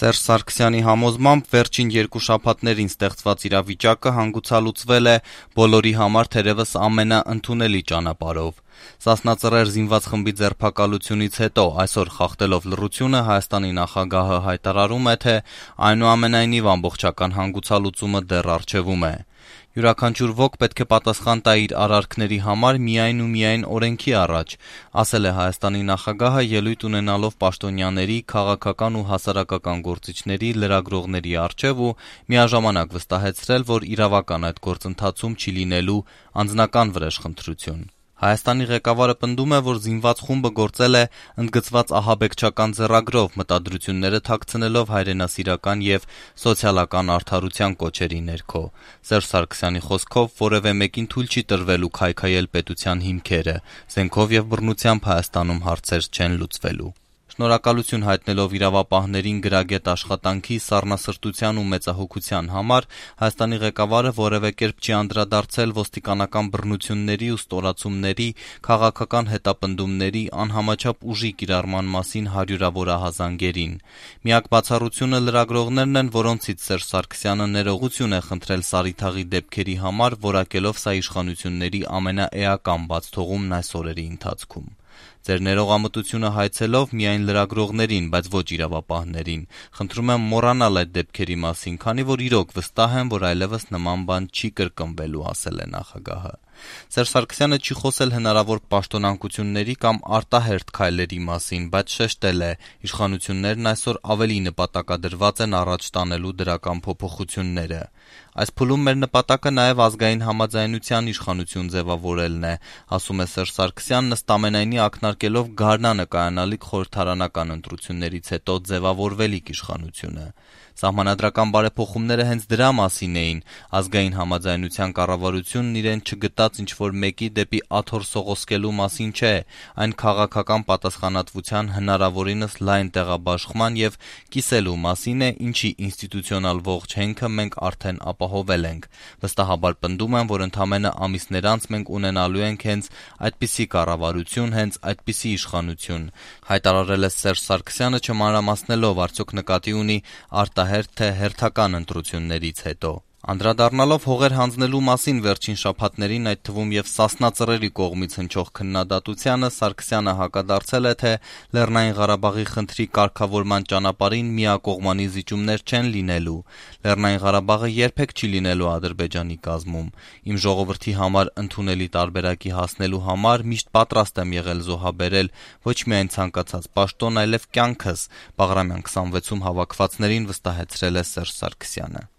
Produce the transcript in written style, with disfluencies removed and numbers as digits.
Սերժ Սարգսյանի համոզմամբ վերջին 2 շաբաթներին ստեղծված իրավիճակը հանգուցալուծվել է բոլորի համար թերևս ամենաընդունելի ճանապարհով։ Սասնածռեր զինված խմբի ձերբակալությունից հետո այսօր խախտելով լռությունը Հայաստանի նախագահը հայտարարում է, թե այնուամենայնիվ ամբողջական հանգուցալուծումը դեռ առջևում է։ Յուրաքանչյուր ոք պետք է պատասխան տա իր արարքների համար միայն ու միայն օրենքի առաջ, ասել է Հայաստանի նախագահը ելույթ ունենալով պաշտոնյաների, քաղաքական ու հասարակական գործիչների, լրագրողների առջև ու միաժամանակ վստահեցրել, որ իրավական այդ գործընթացում չի լինելու անձնական վրեժխնդրություն։ Հայաստանի ղեկավարը պնդում է, որ զինված խումբը գործել է ընդգծված ահաբեկչական ձեռագրով, մտադրությունները թաքցնելով հայրենասիրական եւ սոցիալական արդարության կոչերի ներքո։ Սերժ Սարգսյանի խոսքով որևէ մեկին թույլ չի տրվելու քայքայել պետության հիմքերը, զենքով եւ բռնությամբ Հայաստանում հարցեր չեն լուծվելու։ Շնորհակալություն հայտնելով իրավապահներին գրագետ աշխատանքի, սառնասրտության ու մեծահոգության համար, Հայաստանի ղեկավարը որևէ կերպ չի անդրադարձել ոստիկանական բռնությունների ու ստորացումների, քաղաքական հետապնդումների, անհամաչափ ուժի կիրառման մասին հարյուրավոր ահազանգերին։ Միակ բացառությունը լրագրողներն են, որոնցից Սերժ Սարգսյանը ներողություն է խնդրել Սարիթաղի դեպքերի համար, որակելով սա իշխանությունների ամենաէական բացթողումն այս օրերի ընթացքում։ Ձեր ներողամտությունը հայցելով միայն լրագրողներին, բայց ոչ իրավապահներին։ Խնդրում եմ մոռանալ այդ դեպքերի մասին, քանի որ իրոք վստահ եմ, որ այլևս նման բան չի կրկնվելու, ասել է նախագահը։ Սերժ Սարգսյանը չի խոսել հնարավոր պաշտոնանկությունների կամ արտահերթ քայլերի մասին, բայց շեշտել է՝ իշխանություններն այսօր ավելի նպատակադրված են առաջ տանելու դրական փոփոխությունները։ Այս փուլում մեր նպատակը նաև ազգային համաձայնության իշխանություն ձևավորելն է, ասում է Սերժ Սարգսյանն, ըստ ամենայնի ակնարկելով գարնանը կայանալիք խորհրդարանական ընտրություններից հետո ձևավորվելիք իշխանությունը։ Սահմանադրական բարեփոխումները հենց դրա մասին էին։ Ազգային համաձայնության կառավարությունն իրեն չգտած ինչ-որ մեկի դեպի աթոռ սողոսկելու մասին չէ, այն քաղաքական պատասխանատվության հնարավորինս լայն տեղաբաշխման եւ կիսելու մասին է, ինչի ինստիտուցիոնալ ողջ հենքը մենք արդեն ապահովել ենք։ Վստահաբար պնդում եմ, որ ընդամենը ամիսներ անց մենք ունենալու ենք հենց այդպիսի կառավարություն, հենց այդպիսի իշխանություն, հայտարարել է Սերժ Սարգսյանը, չմանրամասնելով արդյոք նկատի ունի արտահերթ թե հերթական ընտրություններից հետո։ Անդրադառնալով հողեր հանձնելու մասին վերջին շաբաթներին, այդ թվում եւ Սասնա ծռերի կողմից հնչող քննադատությանը, Սարգսյանը հակադարձել է, թե Լեռնային Ղարաբաղի խնդրի կարգավորման ճանապարհին միակողմանի զիջումներ չեն լինելու։ Լեռնային Ղարաբաղը երբեք չի լինելու Ադրբեջանի կազմում։ Իմ ժողովրդի համար ընդունելի տարբերակի հասնելու համար միշտ պատրաստ եմ եղել զոհաբերել ոչ միայն ցանկացած պաշտոն, այլև կյանքս, Բաղրամյան 26-ում հավաքվածներին վստահեցրել է Սերժ Սարգսյանը։